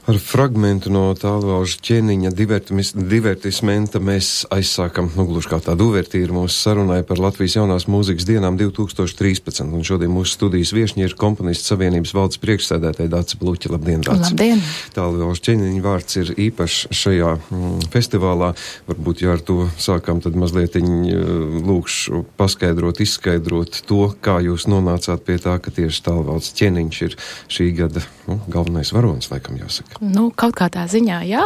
Ar fragmentu no Tālvalža ķēniņa divertismenta mēs aizsākam, gluži kā tādu uvertīru mūsu sarunai par Latvijas jaunās mūzikas dienām 2013. Un šodien mūsu studijas viešņi ir komponistu savienības valdes priekšsēdētāja Dace Bluķa. Labdien, Dace! Labdien! Tālvalža ķēniņa vārds ir īpašs šajā festivālā. Varbūt, ja ar to sākam, tad mazliet lūkšu paskaidrot, izskaidrot to, kā jūs nonācāt pie tā, ka tieši Tālvalža ķēniņš ir šī gada galvenais varonis, laikam jāsaka. Kaut kā tā ziņā, jā.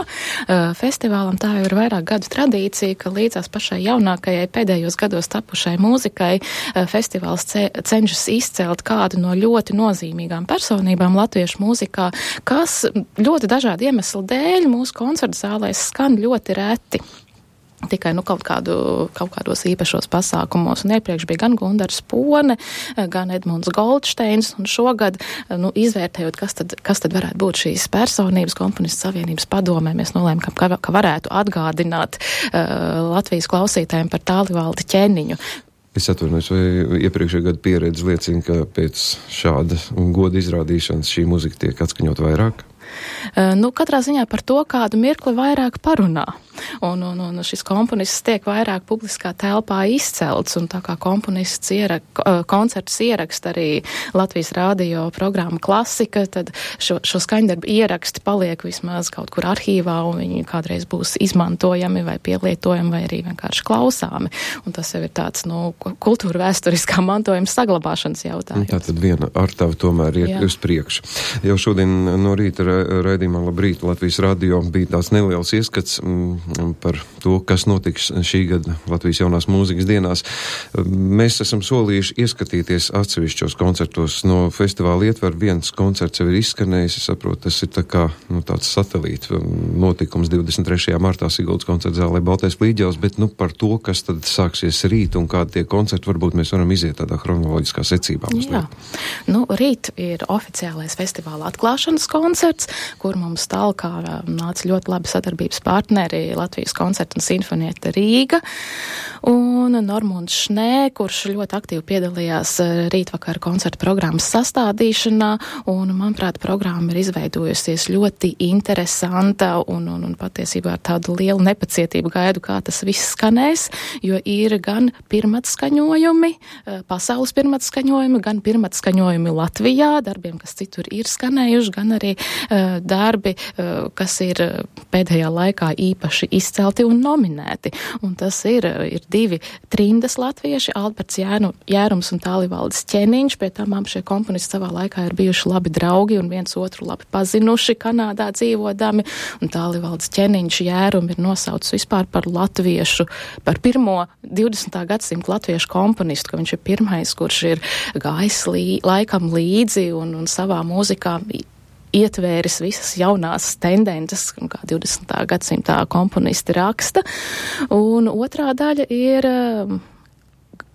Festivālam tā ir vairāk gadu tradīcija, ka līdzās pašai jaunākajai pēdējos gados tapušai mūzikai festivāls cenšas izcelt kādu no ļoti nozīmīgām personībām latviešu mūzikā, kas ļoti dažādu iemeslu dēļ mūsu koncertu zālēs skan ļoti reti. Tikai kaut kādos īpašos pasākumos. Un iepriekš bija gan Gundars Pone, gan Edmunds Goldsteins, un šogad, izvērtējot, kas tad varētu būt šīs personības komponistu savienības padomē, mēs nolēmām, ka varētu atgādināt Latvijas klausītājiem par Tālvaldi ķēniņu. Es atvainojos, vai iepriekšējā gada pieredze liecina, ka pēc šāda goda izrādīšanas šī muzika tiek atskaņot vairāk? Katrā ziņā par to, kādu mirkli vairāk parunā. Un šis komponists tiek vairāk publiskā telpā izcelts, un tā kā komponists koncertus ieraksta arī Latvijas radio programma Klasika, tad šo skaņdarbu ieraksti paliek vismaz kaut kur arhīvā, un viņi kādreiz būs izmantojami vai pielietojami, vai arī vienkārši klausāmi. Un tas jau ir tāds, kultūra vēsturiskā mantojuma saglabāšanas jautājums. Tātad viena artava tomēr iet uz priekšu. Jau šodien no rīta raidījumā Labrīt Latvijas radio bija tāds neliels ieskats par to, kas notiks šī gada Latvijas jaunās mūzikas dienās. Mēs esam solījuši ieskatīties atsevišķos koncertos. No festivāla ietver viens koncerts jau ir izskanējis. Es saprotu, tas ir tā kā tāds satelīta notikums 23. martā Siguldas koncerta zālē Baltais Līģels, bet par to, kas tad sāksies rīt un kādi tie koncerti, varbūt mēs varam iziet tādā chronoloģiskā secībā. Jā. Rīt ir oficiālais festivāla atklāšanas koncerts, kur mums talkā nāca ļoti labi sadarbības partneri Latvijas koncerta un sinfonieta Rīga un Normunds Šnē, kurš ļoti aktīvi piedalījās rītvakara koncerta programmas sastādīšanā, un, manuprāt, programma ir izveidojusies ļoti interesanta un patiesībā ar tādu lielu nepacietību gaidu, kā tas viss skanēs, jo ir gan pirmatskaņojumi, pasaules pirmatskaņojumi, gan pirmatskaņojumi Latvijā, darbiem, kas citur ir skanējuši, gan arī darbi, kas ir pēdējā laikā īpaši izcelti un nominēti. Un tas ir divi trindas latvieši, Alberts Jērums un Tālvalds ķēniņš, pie tam šie komponisti savā laikā ir bijuši labi draugi un viens otru labi pazinuši Kanādā dzīvodami, un Tālvalds ķēniņš Jērumu ir nosaucis vispār par latviešu, par pirmo 20. gadsimta latviešu komponistu, ka viņš ir pirmais, kurš ir gājis laikam līdzi un savā mūzikā ietvēris visas jaunās tendences, kā 20. gadsimtā komponisti raksta. Un otrā daļa ir,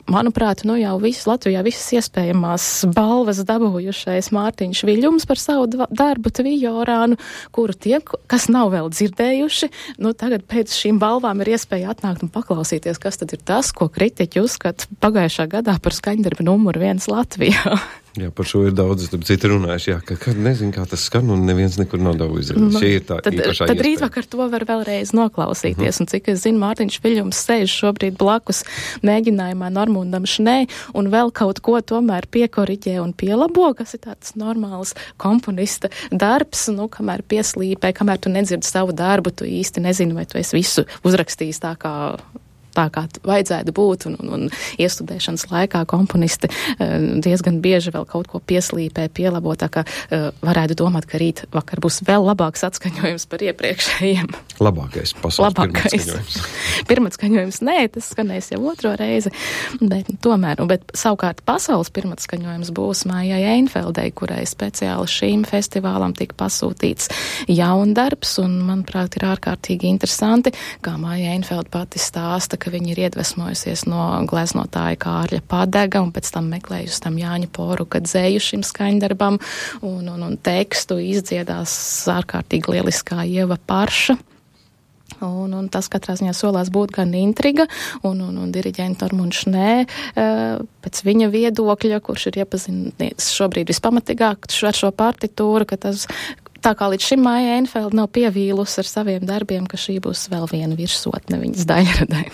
manuprāt, jau Latvijā visas iespējamās balvas dabūjušais Mārtiņš Viļums par savu darbu Tvijorānu, kuru tie, kas nav vēl dzirdējuši, tagad pēc šīm balvām ir iespēja atnākt un paklausīties, kas tad ir tas, ko kritiķi uzskata pagājušā gadā par skaņdarbu numuru 1 Latvijā. Jā, par šo ir daudz, citi runājuši, ka nezinu, kā tas skan, un neviens nekur nav daudz izrādījis. Šī ir tā īpašā iespēja. Tad rītvakar to var vēlreiz noklausīties, un cik es zinu, Mārtiņš Viļums sēž šobrīd blakus mēģinājumā Normundam Šnē, un vēl kaut ko tomēr piekoriģē un pielabo, kas ir tāds normāls komponista darbs, kamēr pieslīpē, kamēr tu nedzirdi savu darbu, tu īsti nezini, vai tu esi visu uzrakstījis tā kā vajadzētu būt, un iestudēšanas laikā komponisti diezgan bieži vēl kaut ko pieslīpē, pielabo, tā kā varētu domāt, ka rīt vakar būs vēl labāks atskaņojums par iepriekšējiem. Labākais pasaules pirmatskaņojums. Pirmatskaņojums, nē, tas skanēs jau otro reizi, bet tomēr, bet savukārt pasaules pirmatskaņojums būs Maijai Einfeldei, kurai speciāli šīm festivālam tika pasūtīts jaundarbs, un, manuprāt, ir ārkārtīgi interesanti, kā Maija Einfelda pati stāsta, ka viņa ir iedvesmojusies no gleznotāja Kārļa Padega un pēc tam meklējusi tam Jāņa Poruka dzēju šim skaņdarbam un tekstu izdziedās ārkārtīgi lieliskā Ieva Parša. Un tas katrā ziņā solās būt gan intriga, un diriģenta Normunds Šnē, pēc viņa viedokļa, kurš ir iepazinies šobrīd vispamatīgāk ar šo partitūru, ka tas tā kā līdz šim Maija Einfeld nav pievīlus ar saviem darbiem, ka šī būs vēl viena virsotne viņas daļradai.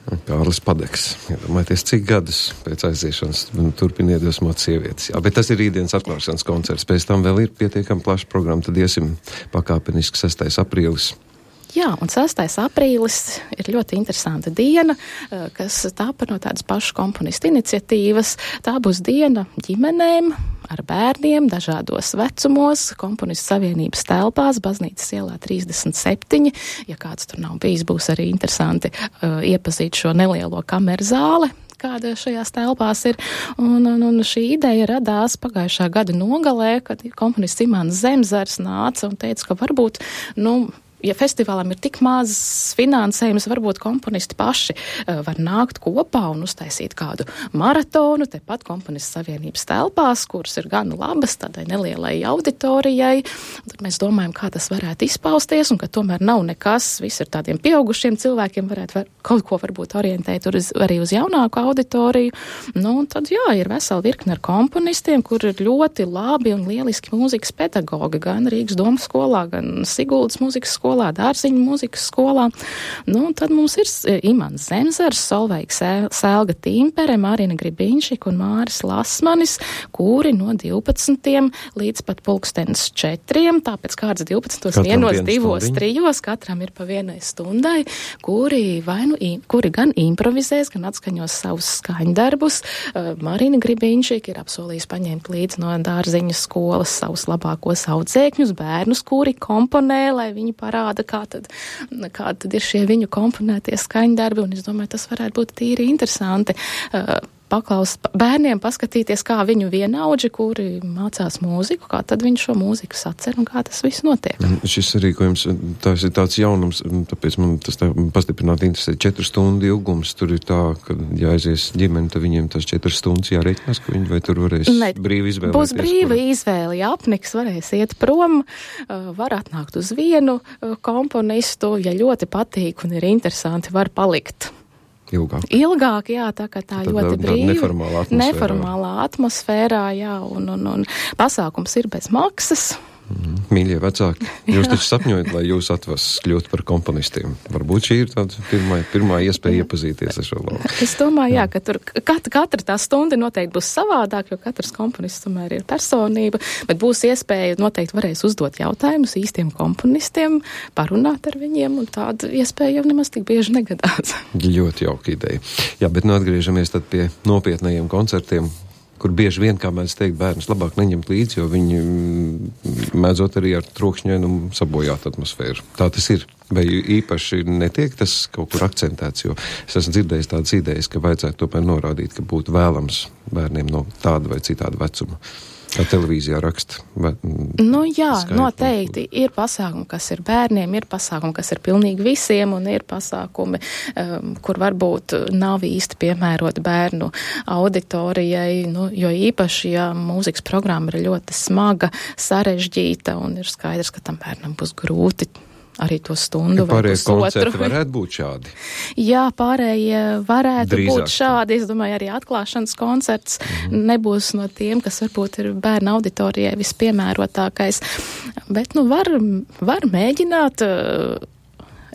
Kārlis Padeks. Iedomājieties, cik gadus pēc aiziešanas turpina iedvesmot sievietes. Jā, bet tas ir rītdienas atklāšanas koncerts. Pēc tam vēl ir pietiekami plaša programma, tad iesim pakāpeniski 6. aprīlis. Jā, un 6. aprīlis ir ļoti interesanta diena, kas tāpa no tādas pašas komponistu iniciatīvas. Tā būs diena ģimenēm, ar bērniem, dažādos vecumos, komponistu savienības telpās, Baznīcas ielā 37. Ja kāds tur nav bijis, būs arī interesanti iepazīt šo nelielo kameru zāli, kāda šajās telpās ir. Un šī ideja radās pagājušā gada nogalē, kad komponists Imants Zemzars nāca un teica, ka varbūt, ja festivālam ir tik maz finansējums, varbūt komponisti paši var nākt kopā un uztaisīt kādu maratonu, tepat komponistu savienības telpās, kuras ir gan labas tādai nelielai auditorijai. Tad mēs domājam, kā tas varētu izpausties, un ka tomēr nav nekas, viss ir tādiem pieaugušiem cilvēkiem, varētu kaut ko varbūt orientēt arī uz jaunāku auditoriju. Un tad, ir vesela virkne ar komponistiem, kur ir ļoti labi un lieliski mūzikas pedagogi, gan Rīgas domas skolā, gan Siguldas mūzikas skolā, Dārziņu mūzikas skolā. Tad mums ir Imants Zemzars, Solveiga Selga Tīmpere, Marina Gribinšika un Māris Lasmanis, kuri no 12. līdz pat 4:00, tāpēc kāds 12. vienos, 2, 3, katram ir pa 1 stundai, kuri gan improvizēs, gan atskaņos savus skaņdarbus. Marina Gribinšika ir apsolījis paņemt līdz no Dārziņu skolas savus labākos audzēkņus, bērnus, kuri komponē, lai viņi parāda, kā tad ir šie viņu komponētie skaņdarbi, un es domāju, tas varētu būt tīri interesanti. Bērniem paskatīties, kā viņu vienaudži, kuri mācās mūziku, kā tad viņi šo mūziku sacer un kā tas viss notiek. Šis rīkojums, tas ir tāds jaunums, tāpēc man tas tā pastiprināti interesē. 4 stundu ilgums, tur ir tā, ka jāaizies ģimeni, tad viņiem tas 4 stundas jāreikinās, ka viņi vai tur varēs brīvi izvēlēties. Būs brīva izvēle, ja apniks, varēs iet prom, var atnākt uz vienu komponistu, ja ļoti patīk un ir interesanti, var palikt. Ilgāk, jā, tā kā tā ļoti brīva. Neformālā atmosfērā, jā, un pasākums ir bez maksas. Mīļie vecāki, jūs taču sapņojat, lai jūs atvases kļūt par komponistiem. Varbūt šī ir tāda pirmā iespēja iepazīties ar šo lauku. Es domāju, jā, ka tur katra tā stunda noteikti būs savādāk, jo katrs komponists tomēr ir personība, bet būs iespēja, noteikti varēs uzdot jautājumus īstiem komponistiem, parunāt ar viņiem, un tāda iespēja jau nemaz tik bieži negadās. Ļoti jauka ideja. Jā, bet atgriežamies tad pie nopietnajiem koncertiem, kur bieži vien, kā mēs teikt, bērnus labāk neņemt līdzi, jo viņi mēdzot arī ar trokšņainumu sabojāt atmosfēru. Tā tas ir. Vai īpaši netiek tas kaut kur akcentēts, jo es esmu dzirdējis tādas idejas, ka vajadzētu tomēr norādīt, ka būtu vēlams bērniem no tāda vai citāda vecuma. Kā televīzijā raksta. Jā, noteikti. Ir pasākumi, kas ir bērniem, ir pasākumi, kas ir pilnīgi visiem, un ir pasākumi, kur varbūt nav īsti piemēroti bērnu auditorijai, jo īpaši, ja mūzikas programma ir ļoti smaga, sarežģīta, un ir skaidrs, ka tam bērnam būs grūti arī to stundu vai pusotru. Pārējie koncerti varētu būt šādi? Jā, pārējie varētu būt šādi. Es domāju, arī atklāšanas koncerts nebūs no tiem, kas varbūt ir bērnu auditorijai vispiemērotākais. Bet, var mēģināt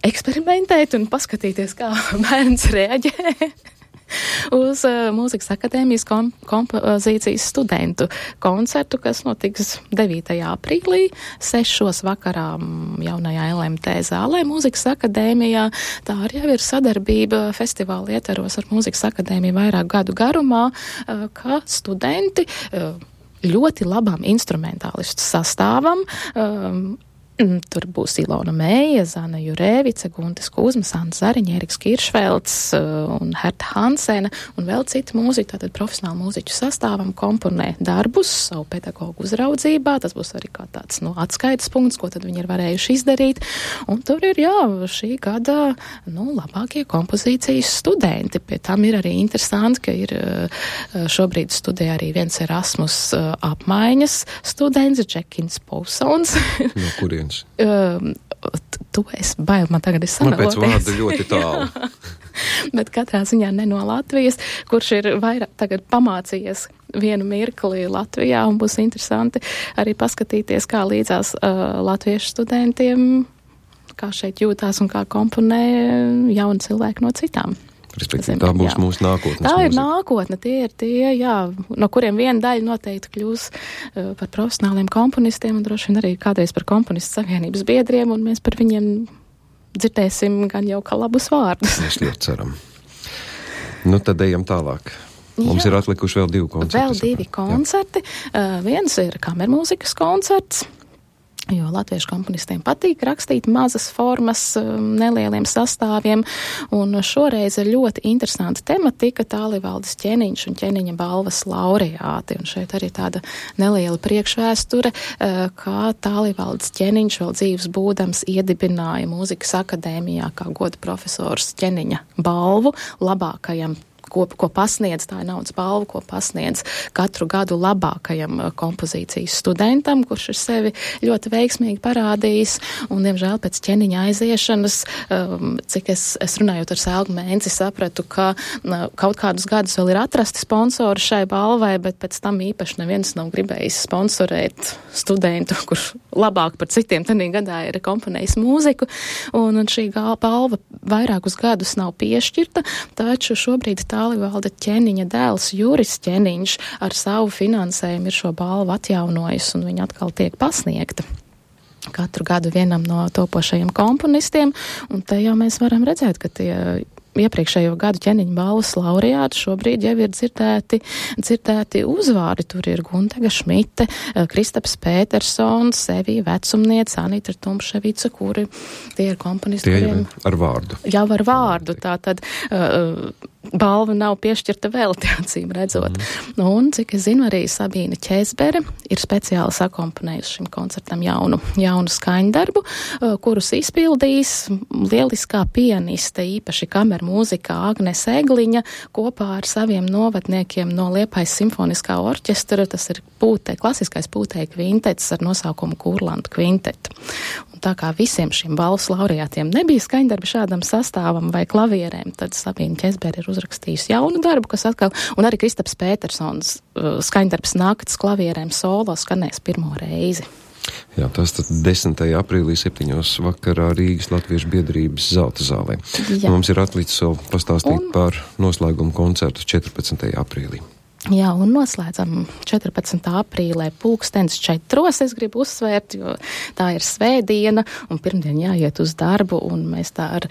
eksperimentēt un paskatīties, kā bērns reaģē uz Mūzikas akadēmijas kompozīcijas studentu koncertu, kas notiks 9. aprīlī, 6. vakarā jaunajā LMT zālē Mūzikas akadēmijā. Tā arī jau ir sadarbība festivāla ietvaros ar Mūzikas akadēmiju vairāk gadu garumā, ka studenti ļoti labām instrumentālistu sastāvam, tur būs Ilona Meija, Zana Jurēvice, Guntis Kuzmas, Ants Zariņa, Eriks Kiršvelds un Herta Hansena un vēl citi mūziķi, tātad profesionāli mūziķu sastāvam komponē darbus savu pedagogu uzraudzībā. Tas būs arī kā tāds atskaites punkts, ko tad viņi ir varējuši izdarīt. Un tur ir, šī gada labākie kompozīcijas studenti. Pie tam ir arī interesanti, ka ir šobrīd studē arī viens Erasmus apmaiņas students, Džekins Pausons. No kurienes? Tu esi bail, man tagad ir sanoties. Man pēc vārda ļoti tālu. Bet katrā ziņā ne no Latvijas, kurš ir vairāk tagad pamācījies vienu mirkli Latvijā, un būs interesanti arī paskatīties, kā līdzās latviešu studentiem, kā šeit jūtās un kā komponē jauni cilvēki no citām. Respektīvi, tā būs mūsu nākotnes Tā mūzika. ir nākotne, tie ir tie, jā, no kuriem viena daļa noteikti kļūs par profesionāliem komponistiem un droši vien arī kādreiz par komponistu savienības biedriem, un mēs par viņiem dzirdēsim gan jau kā labus vārdus. Mēs ļoti ceram. Nu, tad ejam tālāk. Mums ir atlikuši vēl 2 koncerti. Vēl 2 koncerti. Viens ir kamermūzikas koncerts, jo latviešu komponistiem patīk rakstīt mazas formas, nelieliem sastāviem, un šoreiz ir ļoti interesanta tematika Tālivaldis Ķeniņš un Ķeniņa balvas laureāti, un šeit arī tāda neliela priekšvēsture, kā Tālivaldis Ķeniņš vēl dzīves būdams iedibināja mūzikas akadēmijā kā goda profesors Ķeniņa balvu labākajam ko pasniedz, tā ir naudas balva, ko pasniedz katru gadu labākajam kompozīcijas studentam, kurš ir sevi ļoti veiksmīgi parādījis, un, diemžēl, pēc Ķeniņa aiziešanas, cik es runājot ar Selgu Mēnci, sapratu, ka kaut kādus gadus vēl ir atrasti sponsori šai balvai, bet pēc tam īpaši neviens nav gribējis sponsorēt studentu, kurš labāk par citiem tenī gadā ir komponējis mūziku, un šī balva vairākus gadus nav piešķirta, taču šobrīd Tālivalda Ķeniņa dēls Juris Ķeniņš ar savu finansējumu ir šo balvu atjaunojis, un viņa atkal tiek pasniegta katru gadu vienam no topošajiem komponistiem, un te jau mēs varam redzēt, ka tie iepriekšējo gadu Ķeniņa balvas laureāti šobrīd jau ir dzirdēti uzvārdi. Tur ir Guntega Šmite, Kristaps Pētersons, Sevija Vecumniece, Anita Tumševica, kuri tie ir komponisti, kuriem ar vārdu. Jau ar vārdu, tātad balva nav piešķirta vēl, acīm redzot. Un, cik es zinu, arī Sabīna Ķēzbere ir speciāli sakomponējusi šim koncertam jaunu skaņdarbu, kurus izpildīs lieliskā pianiste, īpaši kamermūzikā Agnes Egliņa, kopā ar saviem novadniekiem no Liepājas simfoniskā orķestra. Tas ir klasiskais pūtēju kvintets ar nosaukumu Kurlantu kvinteta. Un tā kā visiem šiem balvas laureātiem nebija skaņdarbi šādam sastāvam vai klavierēm, tad Sabīna Ķēzbere ir uzrakstījusi jaunu darbu, kas atkal, un arī Kristaps Pētersons skaņdarbs naktas klavierēm solo skanēs pirmo reizi. Jā, tas tad 10. aprīlī 7. vakarā Rīgas Latviešu biedrības Zelta zālē. Mums ir atlicis vēl pastāstīt par noslēgumu koncertu 14. aprīlī. Jā, un noslēdzam 14. aprīlē 4:00. Es gribu uzsvērt, jo tā ir svētdiena, un pirmdien jāiet uz darbu, un mēs tā ar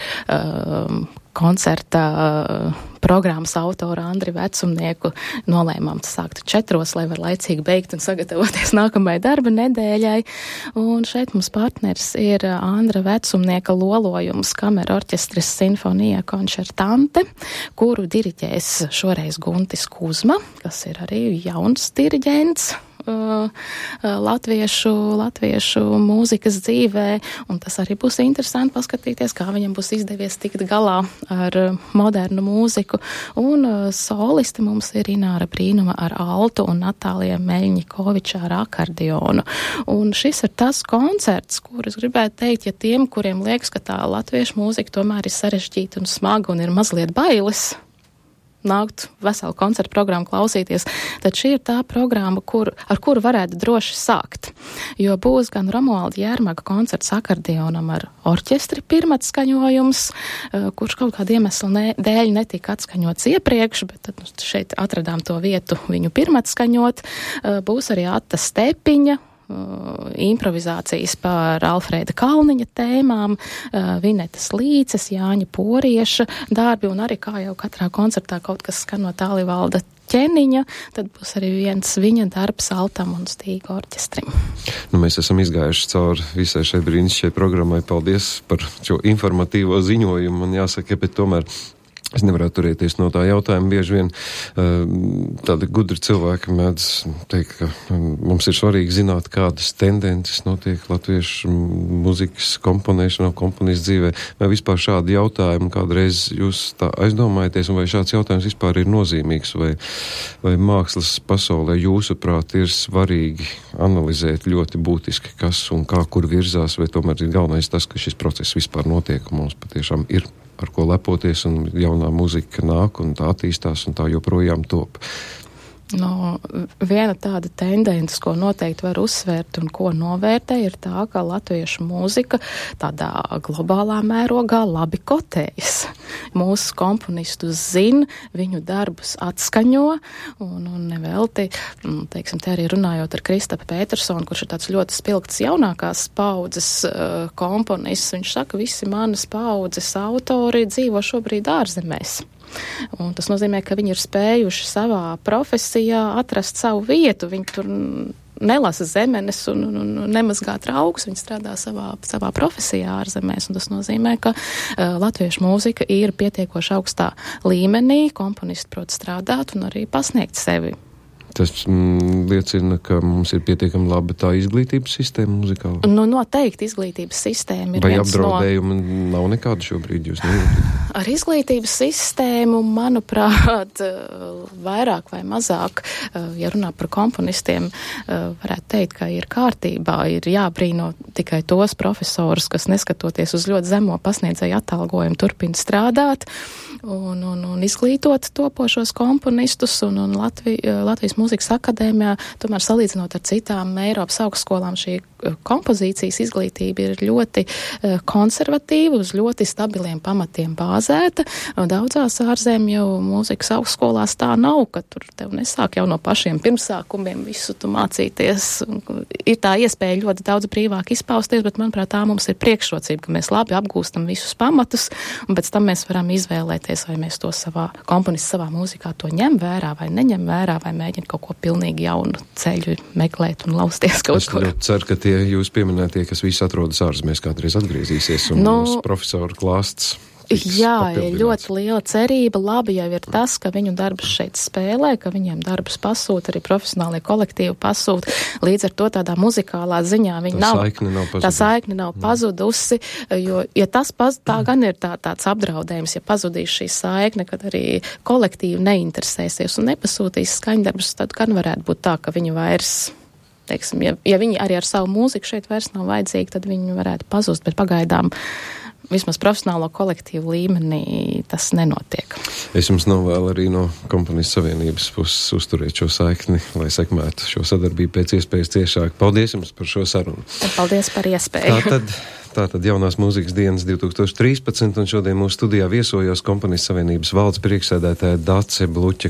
koncerta programmas autoru Andri Vecumnieku nolēmām sākt 4:00, lai var laicīgi beigt un sagatavoties nākamajai darba nedēļai. Un šeit mums partners ir Andra Vecumnieka lolojums kamera orķestris Sinfonija koncertante, kuru diriģēs šoreiz Guntis Kuzma, kas ir arī jauns diriģents latviešu mūzikas dzīvē, un tas arī būs interesanti paskatīties, kā viņam būs izdevies tikt galā ar modernu mūziku. Un solisti mums ir Ināra Brīnuma ar altu un Natālija Meļņikoviča ar akordionu. Un šis ir tas koncerts, kur es gribētu teikt, ja tiem, kuriem liekas, ka tā latviešu mūzika tomēr ir sarežģīta un smaga un ir mazliet bailes nākt veselu koncertu programmu klausīties, tad šī ir tā programma, ar kuru varētu droši sākt. Jo būs gan Romualda Jērmaga koncerts akordionam ar orķestri pirmatskaņojums, kurš kaut kādu iemeslu dēļ netika atskaņots iepriekš, bet tad šeit atradām to vietu viņu pirmatskaņot. Būs arī Atta Stepiņa, improvizācijas par Alfrēda Kalniņa tēmām, Vinetas Līces, Jāņa Porieša darbi, un arī kā jau katrā koncertā kaut kas skan no Tālivalda Ķeniņa, tad būs arī viens viņa darbs altam un stīga orķestrim. Nu, mēs esam izgājuši cauri visai šai brīnišķai programmai. Paldies par šo informatīvo ziņojumu, un jāsaka, bet tomēr es nevarētu turēties no tā jautājuma. Bieži vien tādi gudri cilvēki mēdz teikt, ka mums ir svarīgi zināt, kādas tendences notiek latviešu muzikas komponēšanā, komponistu dzīvē. Vai vispār šādi jautājumi kādreiz jūs tā aizdomājaties, un vai šāds jautājums vispār ir nozīmīgs, vai mākslas pasaulē jūsuprāt ir svarīgi analizēt ļoti būtiski, kas un kā, kur virzās, vai tomēr ir galvenais tas, ka šis process vispār notiek, un mums patiešām ir ar ko lepoties, un jaunā muzika nāk, un tā attīstās, un tā joprojām top. Viena tāda tendence, ko noteikti var uzsvērt un ko novērtē, ir tā, ka latviešu mūzika tādā globālā mērogā labi kotējas. Mūsu komponistus zina, viņu darbus atskaņo, un nevelti, teiksim, te arī runājot ar Kristapu Petersonu, kurš ir tāds ļoti spilgts jaunākās paudzes komponists, viņš saka, visi manas paudzes autori dzīvo šobrīd ārzemēs. Un tas nozīmē, ka viņi ir spējuši savā profesijā atrast savu vietu. Viņi tur nelasa zemenes un nemazgā traukus. Viņi strādā savā profesijā ārzemēs. Un tas nozīmē, ka latviešu mūzika ir pietiekoši augstā līmenī. Komponisti prot strādāt un arī pasniegt sevi. Tas liecina, ka mums ir pietiekami laba tā izglītības sistēma muzikāla. Noteikti izglītības sistēma ir viens no... Vai apdraudējumi nav nekāda šobrīd, jūs nejūtat? Ar izglītības sistēmu, manuprāt, vairāk vai mazāk, ja runā par komponistiem, varētu teikt, ka ir kārtībā, ir jābrīno tikai tos profesorus, kas neskatoties uz ļoti zemo pasniedzēju atalgojumu turpina strādāt un izglītot topošos komponistus un Latvijas Mūzikas akadēmijā, tomēr salīdzinot ar citām Eiropas augstskolām, šī kompozīcijas izglītība ir ļoti konservatīva, uz ļoti stabiliem pamatiem bāzēta. Daudzās ārzemju mūzikas augstskolās tā nav, ka tur tev nesāk jau no pašiem pirmsākumiem visu tu mācīties. Ir tā iespēja ļoti daudz brīvāk izpausties, bet, manuprāt, tā mums ir priekšrocība, ka mēs labi apgūstam visus pamatus, un pēc tam mēs varam izvēlēties, vai mēs to komponists savā mūzikā to ņem vērā vai neņem vērā, vai mēģina kaut ko pilnīgi jaunu ceļu meklēt un lausties kaut kur. Es ceru, ka tie jūs pieminētie, kas visi atrodas ārzemēs, kādreiz atgriezīsies un mūsu profesoru klāsts. Jā, ir ļoti liela cerība. Labi jau ir tas, ka viņu darbus šeit spēlē, ka viņiem darbus pasūta, arī profesionālie kolektīvi pasūta. Līdz ar to tādā muzikālā ziņā tā saikne nav pazudusi, jo, ja tā gan ir tāds apdraudējums, ja pazudīs šī saikne, kad arī kolektīvi neinteresēsies un nepasūtīs skaņdarbus, tad gan varētu būt tā, ka viņi vairs, teiksim, ja viņi arī ar savu mūziku šeit vairs nav vajadzīgi, tad viņi varētu pazust, bet pagaidām vismaz profesionālo kolektīvu līmenī tas nenotiek. Es jums novēlu arī no Komponistu savienības puses uzturēt šo saikni, lai sekmētu šo sadarbību pēc iespējas ciešāk. Paldies jums par šo sarunu. Paldies par iespēju. Tātad jaunās mūzikas dienas 2013, un šodien mūsu studijā viesojos Komponistu savienības valdes priekšsēdētāja Dace Bluķa.